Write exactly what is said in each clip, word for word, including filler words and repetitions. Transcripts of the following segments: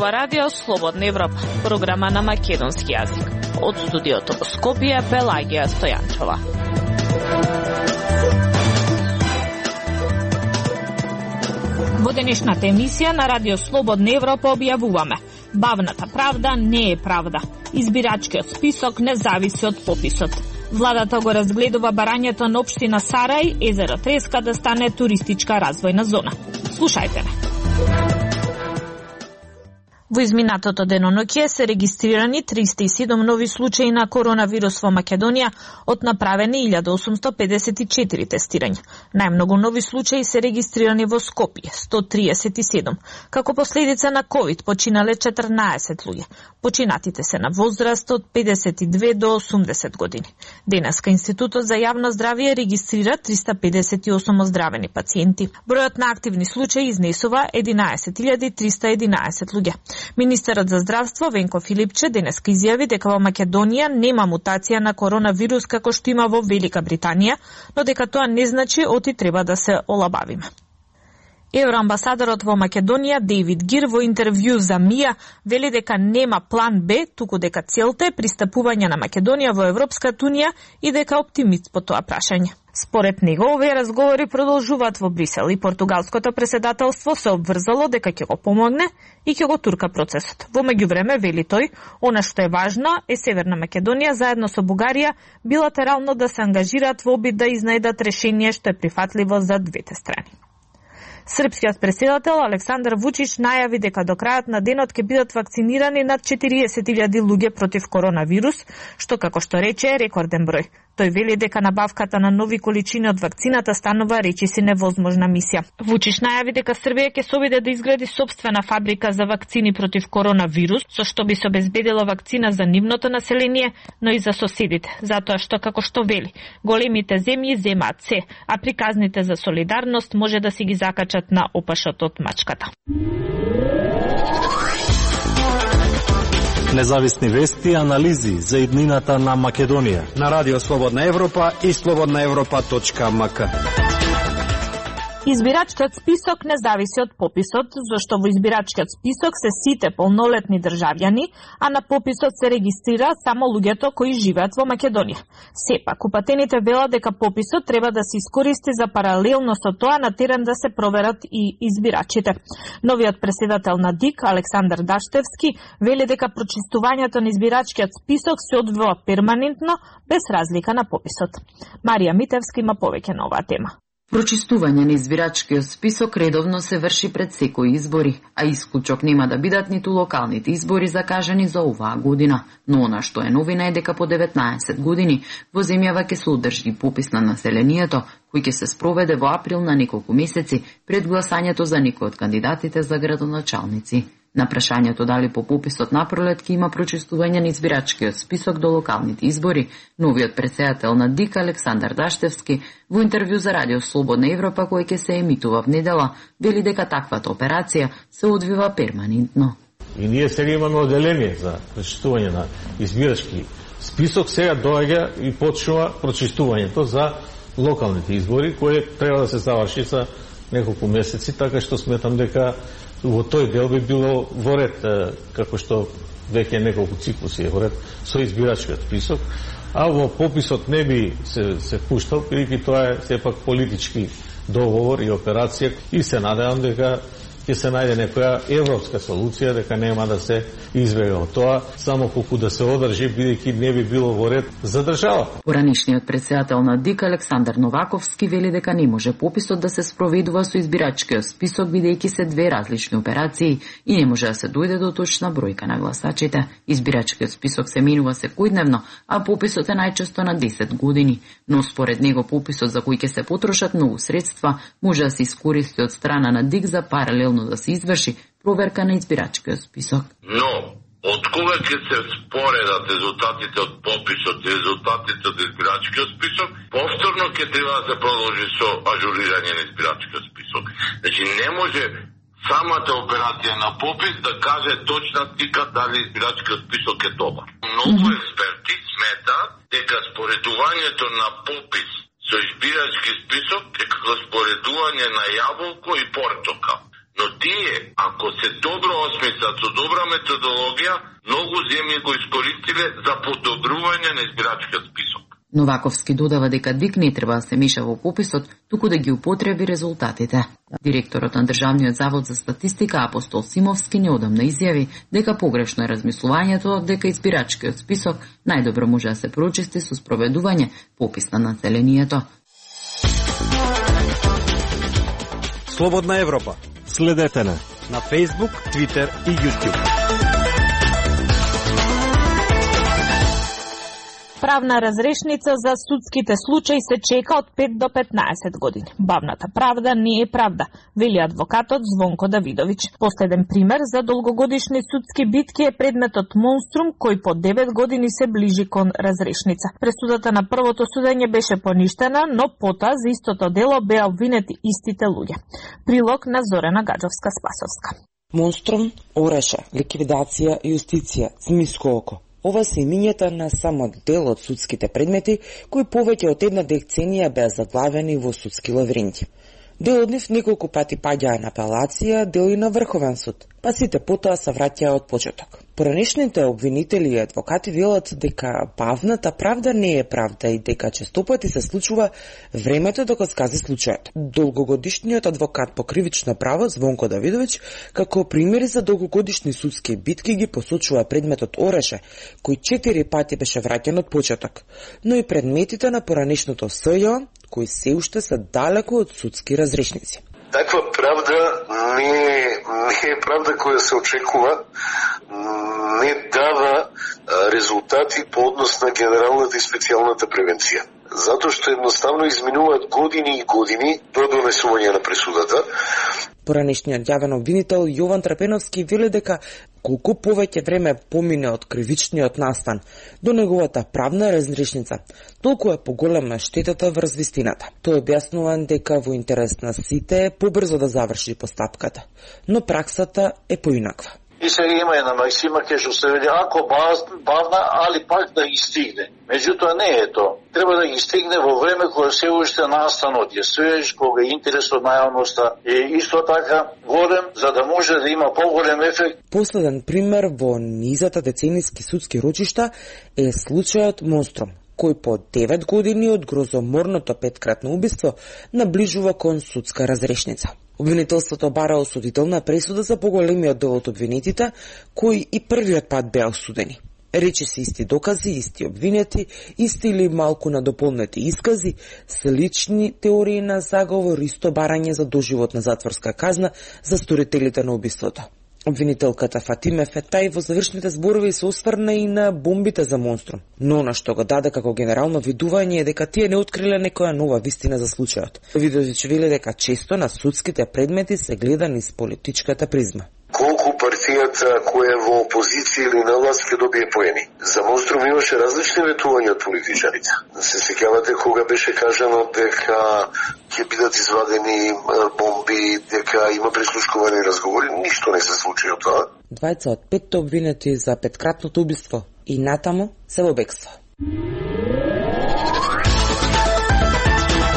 ова радио Слободна Европа, програма на македонски јазик. Од студиото во Скопје, Пелагија Стојанчова. Во денешната емисија на радио Слободна Европа објавуваме: бавната правда не е правда. Избирачкиот список не зависи од пописот. Владата го разгледува барањето на општина Сарај, езеро Треска да стане туристичка развојна зона. Слушајте ме. Во изминатото деноноќе се регистрирани триста и седум нови случаи на коронавирус во Македонија од направени илјада осумстотини педесет и четири тестирања. Најмногу нови случаи се регистрирани во Скопје, сто триесет и седум. Како последица на ковид починале четрнаесет луѓе. Починатите се на возраст од педесет и две до осумдесет години. Денеска Институтот за јавно здравје регистрира триста педесет и осум оздравени пациенти. Бројот на активни случаи изнесува единаесет илјади триста и единаесет луѓе. Министерот за здравство Венко Филипче денеска изјави дека во Македонија нема мутација на коронавирус како што има во Велика Британија, но дека тоа не значи оти треба да се олабавиме. Евроамбасадорот во Македонија Дейвид Гир во интервју за МИА вели дека нема план Б, туку дека целта е пристапување на Македонија во Европската унија и дека е оптимист по тоа прашање. Според него, овие разговори продолжуваат во Брисел и португалското преседателство се обврзало дека ќе го помогне и ќе го турка процесот. Во меѓувреме, вели тој, она што е важно е Северна Македонија заедно со Бугарија билатерално да се ангажираат во обид да изнајдат решение што е прифатливо за двете страни. Српскиот преседател Александар Вучич најави дека до крајот на денот ќе бидат вакцинирани над четириесет илјади луѓе против коронавирус, што како што рече е рекорден број. Тој вели дека набавката на нови количини од вакцината станува речиси невозможна мисија. Вучич најави дека Србија ќе се обиде да изгради сопствена фабрика за вакцини против коронавирус, со што би се обезбедила вакцина за нивното население, но и за соседите, затоа што како што вели, големите земји земаат се, а приказните за солидарност може да си ги закачат на опашот од мачката. Независни вести и анализи за иднината на Македонија на радио Слободна Европа и слободна европа точка ем ка. Избирачкиот список не зависи од пописот, зашто во избирачкиот список се сите полнолетни државјани, а на пописот се регистрира само луѓето кои живеат во Македонија. Сепак, упатените велат дека пописот треба да се искористи за паралелно со тоа на терен да се проверат и избирачите. Новиот преседател на ДИК, Александар Даштевски, вели дека прочистувањето на избирачкиот список се одвива перманентно, без разлика на пописот. Марија Митевски има повеќе на оваа тема. Прочистување на избирачкиот список редовно се врши пред секои избори, а исклучок нема да бидат ниту локалните избори закажани за оваа година. Но она што е новина е дека по деветнаесет години во земјава ќе се одржи попис на населението, кој ќе се спроведе во април на неколку месеци пред гласањето за некој од кандидатите за градоначалници. На прашањето дали по пописот напролет ќе има прочистување на избирачкиот список до локалните избори, новиот председател на ДИК Александар Даштевски во интервју за радио Слободна Европа кој ќе се емитува в недела, вели дека таквата операција се одвива перманентно. И ние сега имаме оделение за прочистување на избирачки список, сега доаѓа и почнува прочистувањето за локалните избори, кои треба да се заврши за неколку месеци, така што сметам дека во тој дел би било во ред, како што веќе неколку циклуси е во ред со избирачкиот список, а во пописот не би се, се пуштал, бидејќи тоа е сепак политички договор и операција и се надевам дека ќе се најде некоја европска солуција, дека нема да се избега од тоа, само колку да се одржи, бидејќи не би било во ред за државата. Поранишниот председател на ДИК Александар Новаковски вели дека не може пописот да се спроведува со избирачкиот список, бидејќи се две различни операции и не може да се дојде до точна бројка на гласачите. Избирачкиот список се менува секојдневно, а пописот е најчесто на десет години, но според него пописот за кој ќе се потрошат многу средства може да се искористи од страна на ДИК за паралелно да се изврши проверка на избирачкиот список. Но, од кога ќе се споредат резултатите од пописот и резултатите од избирачкиот список, повторно ќе треба да се продолжи со ажурирање на избирачкиот список. Значи, не може самата операција на попис да каже точна слика дали избирачкиот список е добар. Многу експерти сметаат дека споредувањето на попис со избирачки список е како споредување на јаболко и портокал. Но тие, ако се добро осмислат со добра методологија, многу земји го искористиле за подобрување на избирачкиот список. Новаковски додава дека ДИК не треба да се меша во пописот, туку да ги употреби резултатите. Директорот на Државниот завод за статистика Апостол Симовски неодамна изјави дека погрешно е размислувањето дека избирачкиот список најдобро може да се прочисти со спроведување попис на населението. Слободна Европа. Следете на на Facebook, Twitter и YouTube. Правна разрешница за судските случаи се чека од пет до петнаесет години. Бавната правда не е правда, вели адвокатот Звонко Давидовиќ. Последен пример за долгогодишни судски битки е предметот Монструм, кој по девет години се ближи кон разрешница. Пресудата на првото судење беше поништена, но потоа за истото дело беа обвинети истите луѓе. Прилог на Зорена Гаджовска-Спасовска. Монструм, Ореше, ликвидација, јустиција, Цмиско око. Ова се имињата на само дел од судските предмети, кои повеќе од една деценија беа заглавени во судски лавринти. Дел од нив неколку пати паѓаа на апелација, дел и на Врховен суд, па сите потоа се враќаа од почеток. Поранешните обвинители и адвокати велат дека бавната правда не е правда и дека честопати се случува времето да го скази случајот. Долгогодишниот адвокат по кривично право Звонко Давидовиќ, како примери за долгогодишни судски битки ги посочува предметот Ореше, кој четири пати беше враќан од почеток, но и предметите на поранешното СЈО, кои се уште се далеку од судски разрешници. Таква правда не е, не е правда која се очекува, не дава резултати по однос на генералната и специјалната превенција. Затоа што едноставно изминуваат години и години до донесување на пресудата. Поранешниот јавен обвинител Јован Трапеновски вели дека колку повеќе време помине од кривичниот настан до неговата правна разрешница, толку е поголема штетата врз вистината. Тој објаснува дека во интерес на сите е побрзо да заврши постапката, но праксата е поинаква. И сега има една максима ке што се вели ако бавна, али пак да ги стигне. Меѓутоа не е то. Треба да ги стигне во време кога се уште настанот е свеж, кога интересот на јавноста е исто така голем, за да може да има поголем ефект. Последен пример во низата деценијски судски рочишта е случајот Монструм, кој по девет години од грозоморното петкратно убиство наближува кон судска разрешница. Обвинителството бара осудителна пресуда за поголемиот дел од обвинетите, кои и првиот пат беа осудени. Речи се исти докази, исти обвинети, исти или малку надополнети искази, слични теории на заговор, исто барање за доживотна затворска казна за сторителите на убиството. Обвинителката Фатиме Фетај во завршните зборови се осврна и на бомбите за Монструм, но на што го даде како генерално видување е дека тие не откриле некоја нова вистина за случајот. Видовиќ вели дека често на судските предмети се гледа низ политичката призма. Колку партијата која е во опозиција или на власт ќе добие поени. За Монструм имаше различни ветувања од политичарите. Се сеќавате кога беше кажано дека ќе бидат извадени бомби, дека има прислушкувани разговори, ништо не се случи од тоа. Двајца од петте обвинети за петкратното убиство и натаму се во бегство.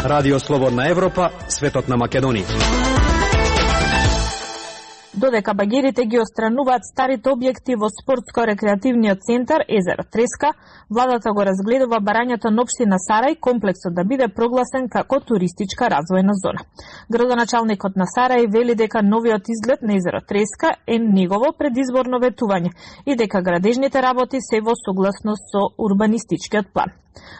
Радио Слободна Европа, светот на Македонија. Додека багерите ги отстрануваат старите објекти во спортско-рекреативниот центар Езеро Треска, владата го разгледува барањето на општина Сарај комплексот да биде прогласен како туристичка развојна зона. Градоначалникот на Сарај вели дека новиот изглед на Езеро Треска е негово предизборно ветување и дека градежните работи се во согласност со урбанистичкиот план.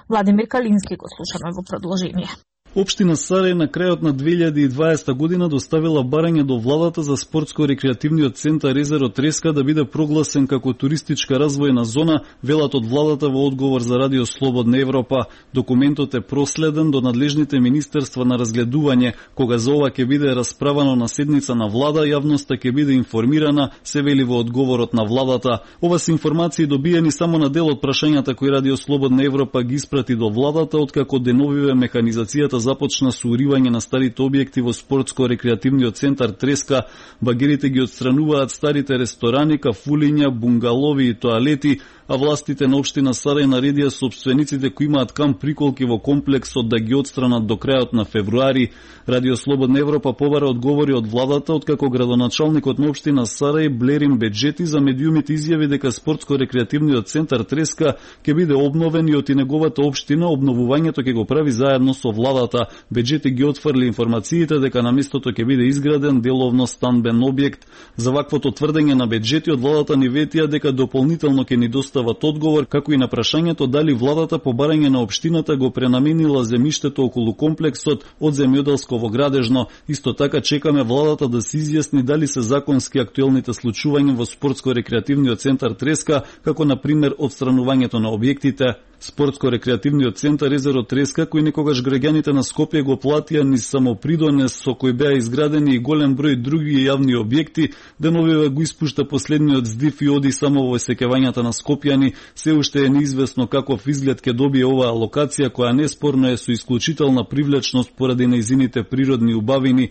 Владимир Калински го слушаме во продолжение. Општина Сарај на крајот на две илјади и дваесета година доставила барање до владата за спортско-рекреативниот центар Езеро Треска да биде прогласен како туристичка развојна зона, велат од владата во одговор за Радио Слободна Европа. Документот е проследен до надлежните министерства на разгледување. Кога за ова ќе биде расправано на седница на влада, јавноста ќе биде информирана, се вели во одговорот на владата. Ова се информации добиени само на дел од прашањата кои Радио Слободна Европа ги испрати до владата, откако деновиве механизацијата започна со уривање на старите објекти во спортско-рекреативниот центар Треска. Багерите ги отстрануваат старите ресторани, кафулиња, бунгалови и тоалети, а властите на општина Сарај наредија сопствениците кои имаат камп приколки во комплексот да ги отстранат до крајот на февруари. Радио Слободна Европа побара одговори од владата, откако градоначалникот на општина Сарај Блерин Беджети за медиумите изјави дека спортско-рекреативниот центар Треска ќе биде обновен и од и неговата општина обновувањето ќе го прави заедно со владата. Беджети ги отфрли информациите дека на местото ќе биде изграден деловно станбен објект. За ваквото тврдење на Беджети од владата ни ветија дека дополнително ќе ни достават одговор, како и на прашањето дали владата по барање на општината го пренаменила земјиштето околу комплексот од земјоделско во градежно. Исто така чекаме владата да се изјасни дали се законски актуелните случувања во спортско-рекреативниот центар Треска, како на пример отстранувањето на објектите. Спортско-рекреативниот центар Езеро Треска, кој некогаш граѓаните на Скопје го платија низ самопридонес со кој беа изградени и голем број други јавни објекти, деновиве го испушта последниот здив и оди само во сеќавањата на скопјани. Се уште е неизвестно каков изглед ќе добие оваа локација, која неспорно е со исклучителна привлечност поради нејзините природни убавини.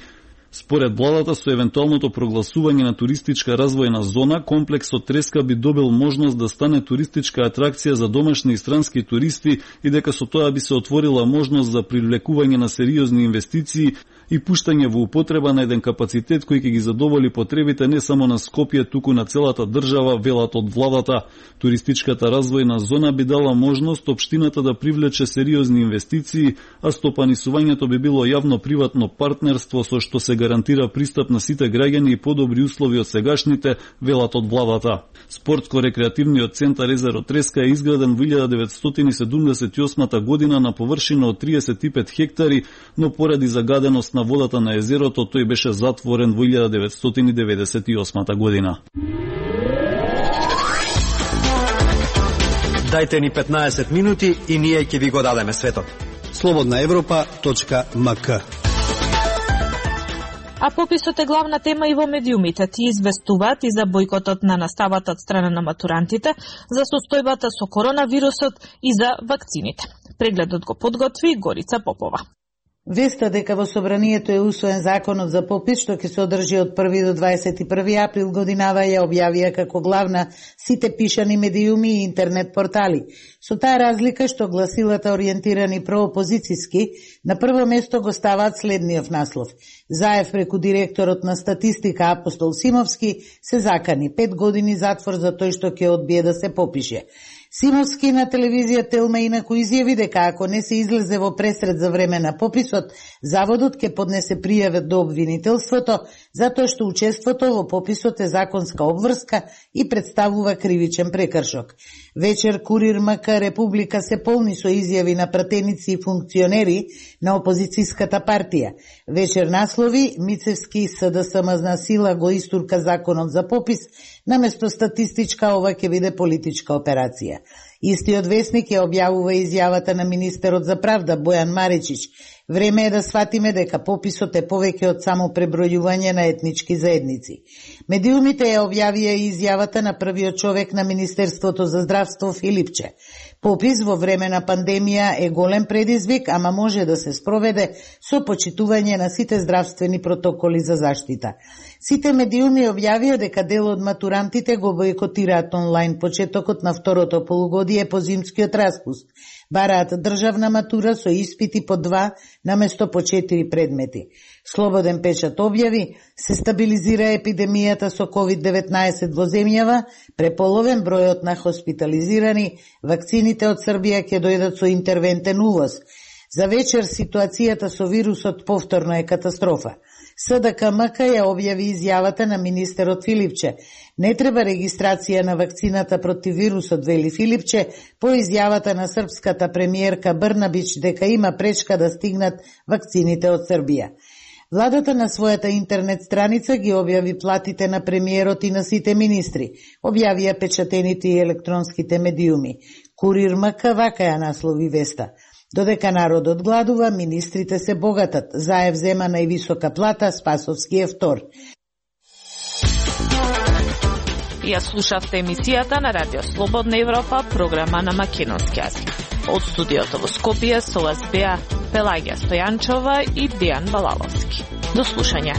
Според владата, со евентуалното прогласување на туристичка развојна зона, комплексот Треска би добил можност да стане туристичка атракција за домашни и странски туристи и дека со тоа би се отворила можност за привлекување на сериозни инвестиции и пуштање во употреба на еден капацитет кој ќе ги задоволи потребите не само на Скопје, туку на целата држава, велат од владата. Туристичката развојна зона би дала можност општината да привлече сериозни инвестиции, а стопанисувањето би било јавно-приватно партнерство со што се гарантира пристап на сите граѓани и подобри услови од сегашните, велат од владата. Спортско-рекреативниот центар Езеро Треска е изграден во илјада деветстотини седумдесет и осма година на површина од триесет и пет хектари, но поради загаденост на водата на езерото тој беше затворен во илјада деветстотини деветдесет и осма година. Дајте ни петнаесет минути и ние ќе ви го дадеме светот. слободна европа точка ем ка. А пописот е главна тема и во медиумите. Ти известуваат и за бојкотот на наставата од страна на матурантите, за состојбата со коронавирусот и за вакцините. Прегледот го подготви Горица Попова. Веста дека во Собранието е усвоен законот за попис, што ќе се одржи од први до дваесет и први април годинава, ја објавија како главна сите пишани медиуми и интернет портали. Со таа разлика што гласилата ориентирани проопозицијски на прво место го ставаат следниот наслов. Заев преку директорот на статистика Апостол Симовски се закани пет години затвор за тој што ќе одбие да се попише. Симовски на телевизија Телма инаку изјави дека ако не се излезе во пресред за време на пописот, заводот ќе поднесе пријава до обвинителството, затоа што учеството во пописот е законска обврска и представува кривичен прекршок. Вечер Курир МК Република се полни со изјави на пратеници и функционери на опозицијската партија. Вечер наслови Мицевски СДСМ сила го истурка законот за попис, наместо статистичка ова ќе биде политичка операција. Истиот весник ја објавува изјавата на министерот за правда Бојан Маричич. Време е да сватиме дека пописот е повеќе од само пребројување на етнички заедници. Медиумите ја објавија и изјавата на првиот човек на Министерството за здравство Филипче. Попис во време на пандемија е голем предизвик, ама може да се спроведе со почитување на сите здравствени протоколи за заштита. Сите медиуми објавија дека дел од матурантите го бојкотираат онлайн почетокот на второто полугодие по зимскиот распуст. Бараат државна матура со испити по два наместо по четири предмети. Слободен печат објави, се стабилизира епидемијата со ковид деветнаесет во земјава, преполовен бројот на хоспитализирани, вакцините од Србија ќе дојдат со интервентен увоз. За вечер ситуацијата со вирусот повторно е катастрофа. СДКМК ја објави изјавата на министерот Филипче. Не треба регистрација на вакцината против вирусот, вели Филипче, по изјавата на српската премиерка Брнабич дека има пречка да стигнат вакцините од Србија. Владата на својата интернет страница ги објави платите на премиерот и на сите министри. Објавија печатените и електронските медиуми. Курир МК вака ја наслови веста. Додека народот гладува, министрите се богатат. Заев зема највисока плата, Спасовски е втор. Ја слушавте емисијата на Радио Слободна Европа, програма на македонски јазик. Од студиото во Скопје со вас беа Пелагија Стојанчова и Дејан Балаловски. До слушање.